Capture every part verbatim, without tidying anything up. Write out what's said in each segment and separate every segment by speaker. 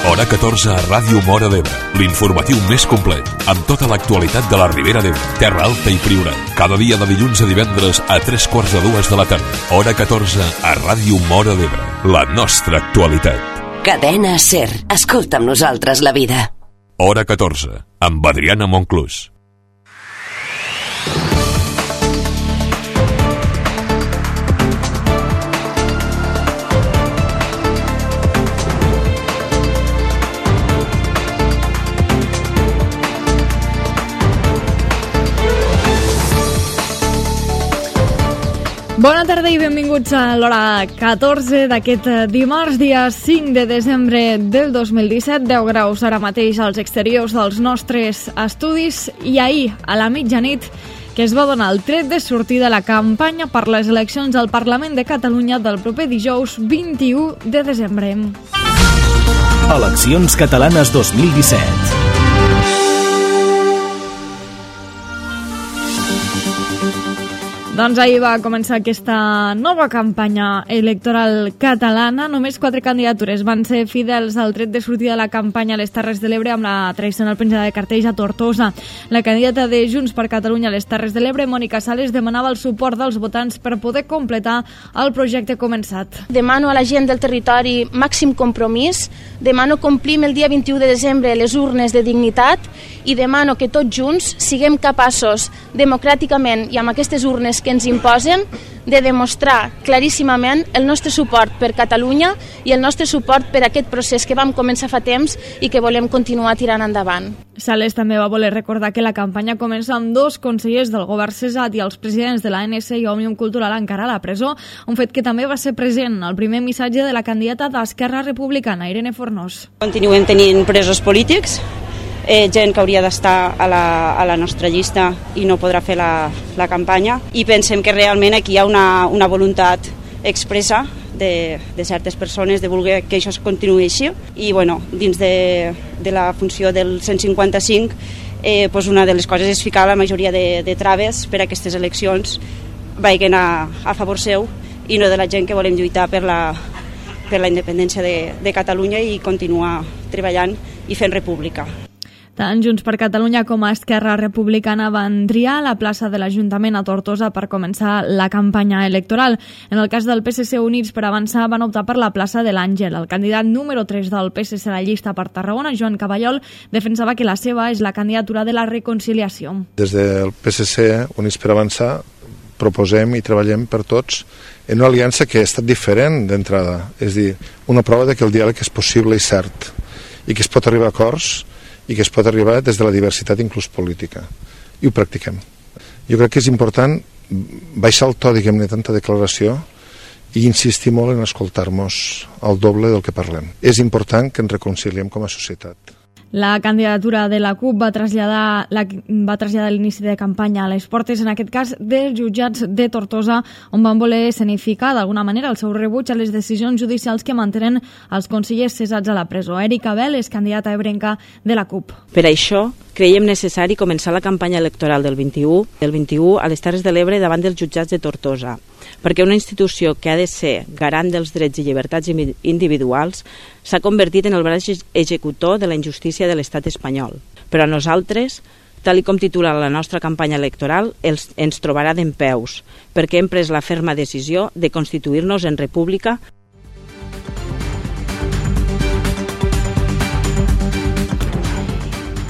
Speaker 1: Hora catorze a Ràdio Móra d'Ebre, l'informatiu més complet, amb tota l'actualitat de la Ribera d'Ebre, Terra Alta i Priorat. Cada dia de dilluns a divendres a tres quarts de dues de la tarda. Hora catorze a Ràdio Móra d'Ebre, la nostra actualitat.
Speaker 2: Cadena SER, escolta amb nosaltres la vida.
Speaker 1: Hora catorze, amb Adriana Monclús.
Speaker 3: Bona tarda i benvinguts a l'hora catorze d'aquest dimarts, dia cinc de desembre del dos mil disset, deu graus ara mateix als exteriors dels nostres estudis, i ahir, a la mitjanit, que es va donar el tret de sortida a la campanya per les eleccions al Parlament de Catalunya del proper dijous vint-i-u de desembre.
Speaker 4: Eleccions catalanes dos mil disset.
Speaker 3: Doncs ahir va començar aquesta nova campanya electoral catalana. Només quatre candidatures van ser fidels al tret de sortida de la campanya a les Terres de l'Ebre amb la tradicional penjada de cartells a Tortosa. La candidata de Junts per Catalunya a les Terres de l'Ebre, Mònica Sales, demanava el suport dels votants per poder completar el projecte començat.
Speaker 5: Demano a la gent del territori màxim compromís, demano complim el dia vint-i-u de desembre les urnes de dignitat i demano que tots junts siguem capaços democràticament i amb aquestes urnes que ens imposen de demostrar claríssimament el nostre suport per Catalunya i el nostre suport per aquest procés que vam començar fa temps i que volem continuar tirant endavant.
Speaker 3: Sales també va voler recordar que la campanya comença amb dos consellers del govern cessat i els presidents de l'A N S i Òmnium Cultural encara a la presó, un fet que també va ser present al primer missatge de la candidata d'Esquerra Republicana, Irene Fornós.
Speaker 6: Continuem tenint presos polítics, Eh, gent que hauria d'estar a la, a la nostra llista i no podrà fer la, la campanya, i pensem que realment aquí hi ha una, una voluntat expressa de, de certes persones de voler que això es continuï així, i bueno, dins de, de la funció del cent cinquanta-cinc eh, doncs una de les coses és ficar la majoria de, de traves per a aquestes eleccions vagin a, a favor seu i no de la gent que volem lluitar per la, per la independència de, de Catalunya i continuar treballant i fent república.
Speaker 3: Tant Junts per Catalunya com a Esquerra Republicana van triar la plaça de l'Ajuntament a Tortosa per començar la campanya electoral. En el cas del P S C Units per Avançar van optar per la plaça de l'Àngel. El candidat número tres del P S C a la llista per Tarragona, Joan Caballol, defensava que la seva és la candidatura de la reconciliació.
Speaker 7: Des del P S C Units per Avançar proposem i treballem per tots en una aliança que ha estat diferent d'entrada. És a dir, una prova de que el diàleg és possible i cert i que es pot arribar a acords i que es pot arribar des de la diversitat inclús política, i ho practiquem. Jo crec que és important baixar el to, diguem-ne, tanta declaració i insistir molt en escoltar-nos el doble del que parlem. És important que ens reconciliem com a societat.
Speaker 3: La candidatura de la CUP va traslladar, la, va traslladar l'inici de campanya a les portes, en aquest cas dels jutjats de Tortosa, on van voler escenificar d'alguna manera el seu rebuig a les decisions judicials que mantenen els consellers cessats a la presó. Erika Bel és candidata ebrenca de la CUP.
Speaker 6: Per això creiem necessari començar la campanya electoral del vint-i-u, del vint-i-u a les Terres de l'Ebre davant dels jutjats de Tortosa, perquè una institució que ha de ser garant dels drets i llibertats individuals s'ha convertit en el braç executor de la injustícia de l'estat espanyol. Però a nosaltres, tal com titula la nostra campanya electoral, els, ens trobarà dempeus, perquè hem pres la ferma decisió de constituir-nos en república.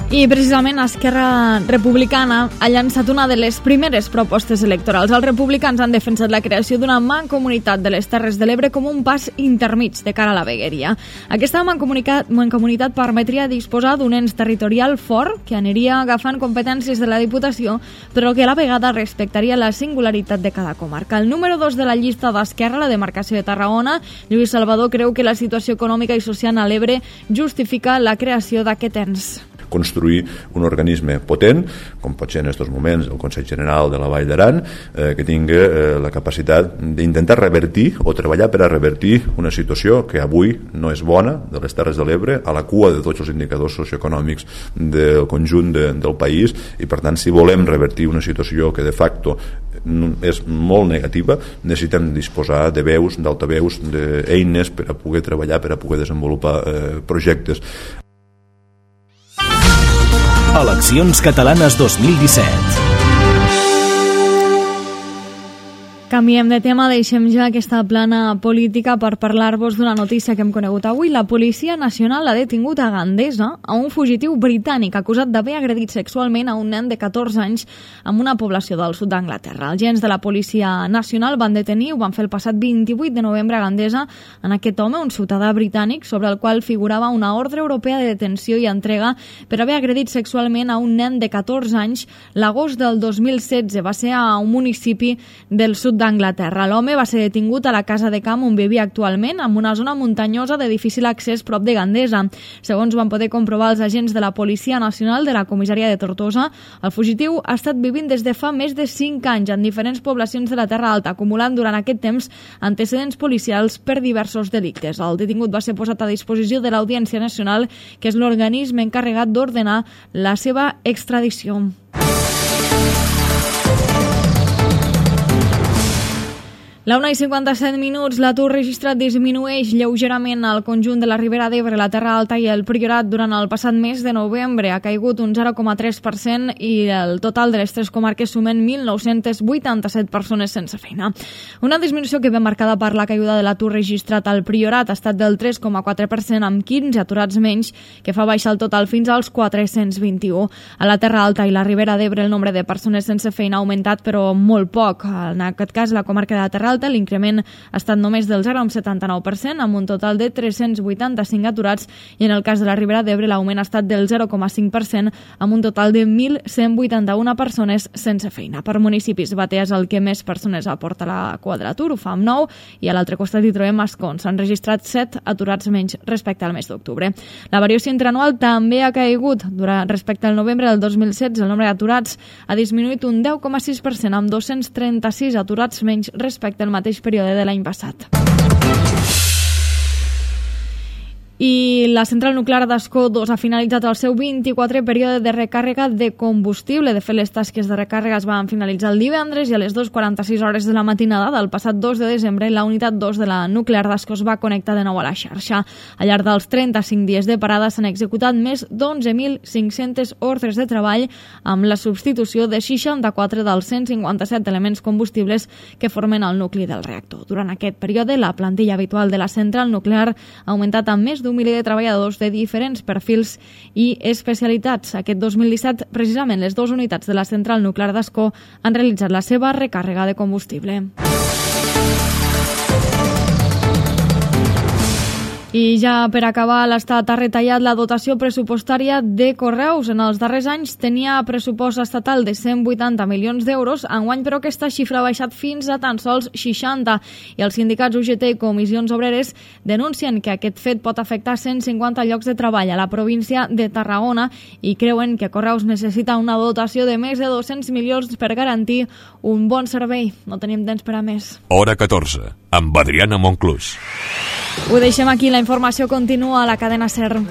Speaker 3: I precisament Esquerra Republicana ha llançat una de les primeres propostes electorals. Els republicans han defensat la creació d'una mancomunitat de les Terres de l'Ebre com un pas intermig de cara a la vegueria. Aquesta mancomunitat, mancomunitat permetria disposar d'un ens territorial fort que aniria agafant competències de la Diputació, però que a la vegada respectaria la singularitat de cada comarca. El número dos de la llista d'Esquerra, la demarcació de Tarragona, Lluís Salvador, creu que la situació econòmica i social a l'Ebre justifica la creació d'aquest ens.
Speaker 8: Construir un organisme potent, com pot ser en aquests moments el Consell General de la Vall d'Aran, eh, que tingui eh, la capacitat d'intentar revertir o treballar per a revertir una situació que avui no és bona de les Terres de l'Ebre, a la cua de tots els indicadors socioeconòmics del conjunt de, del país, i per tant si volem revertir una situació que de facto és molt negativa. Necessitem disposar de veus, d'altaveus, d'eines per a poder treballar, per a poder desenvolupar eh, projectes.
Speaker 4: Eleccions catalanes dos mil disset.
Speaker 3: Canviem de tema, deixem ja aquesta plana política per parlar-vos d'una notícia que hem conegut avui. La Policia Nacional ha detingut a Gandesa a un fugitiu britànic acusat d'haver agredit sexualment a un nen de catorze anys en una població del sud d'Anglaterra. Els agents de la Policia Nacional van detenir, ho van fer el passat vint-i-vuit de novembre a Gandesa, en aquest home, un ciutadà britànic, sobre el qual figurava una ordre europea de detenció i entrega per haver agredit sexualment a un nen de catorze anys l'agost del dos mil setze. Va ser a un municipi del sud d'Anglaterra. L'home va ser detingut a la casa de camp on vivia actualment, en una zona muntanyosa de difícil accés prop de Gandesa. Segons van poder comprovar els agents de la Policia Nacional de la comissaria de Tortosa, el fugitiu ha estat vivint des de fa més de cinc anys en diferents poblacions de la Terra Alta, acumulant durant aquest temps antecedents policials per diversos delictes. El detingut va ser posat a disposició de l'Audiència Nacional, que és l'organisme encarregat d'ordenar la seva extradició. La una i cinquanta-set minuts, l'atur registrat disminueix lleugerament al conjunt de la Ribera d'Ebre, la Terra Alta i el Priorat durant el passat mes de novembre. Ha caigut un zero coma tres per cent i el total de les tres comarques sumen mil nou-cents vuitanta-set persones sense feina. Una disminució que ve marcada per la caiguda de l'atur registrat al Priorat ha estat del tres coma quatre per cent amb quinze aturats menys, que fa baixar el total fins als quatre-cents vint-i-u. A la Terra Alta i la Ribera d'Ebre el nombre de persones sense feina ha augmentat, però molt poc. En aquest cas, la comarca de la Terra Alta, l'increment ha estat només del zero coma setanta-nou per cent, amb un total de tres-cents vuitanta-cinc aturats, i en el cas de la Ribera d'Ebre l'augment ha estat del zero coma cinc per cent, amb un total de mil cent vuitanta-una persones sense feina. Per municipis, Batea és el que més persones aporta a la cua de l'atur, ho fa amb nou, i a l'altre costat hi trobem Ascons. S'han registrat set aturats menys respecte al mes d'octubre. La variació interanual també ha caigut. Durant, respecte al novembre del dos mil setze, el nombre d'aturats ha disminuït un deu coma sis per cent, amb dos-cents trenta-sis aturats menys respecte al mateix període de l'any passat. I la central nuclear d'Ascó dos ha finalitzat el seu vint-i-quatrè període de recàrrega de combustible. De fet, les tasques de recàrrega es van finalitzar el divendres i a les dues quaranta-sis hores de la matinada del passat dos de desembre la unitat dos de la nuclear d'Ascó es va connectar de nou a la xarxa. Al llarg dels trenta-cinc dies de parada s'han executat més d'onze mil cinc-centes ordres de treball amb la substitució de seixanta-quatre dels cent cinquanta-set elements combustibles que formen el nucli del reactor. Durant aquest període, la plantilla habitual de la central nuclear ha augmentat amb més d'un miler de treballadors de diferents perfils i especialitats. Aquest dos mil disset, precisament, les dues unitats de la central nuclear d'Ascó han realitzat la seva recàrrega de combustible. I ja per acabar, l'Estat ha retallat la dotació pressupostària de Correus. En els darrers anys tenia pressupost estatal de cent vuitanta milions d'euros, enguany però aquesta xifra ha baixat fins a tan sols seixanta. I els sindicats U G T i Comissions Obreres denuncien que aquest fet pot afectar cent cinquanta llocs de treball a la província de Tarragona i creuen que Correus necessita una dotació de més de dos-cents milions per garantir un bon servei. No tenim temps per a més.
Speaker 1: Hora catorze, amb Adriana Monclús.
Speaker 3: Ho deixem aquí, la informació continua a la cadena SER.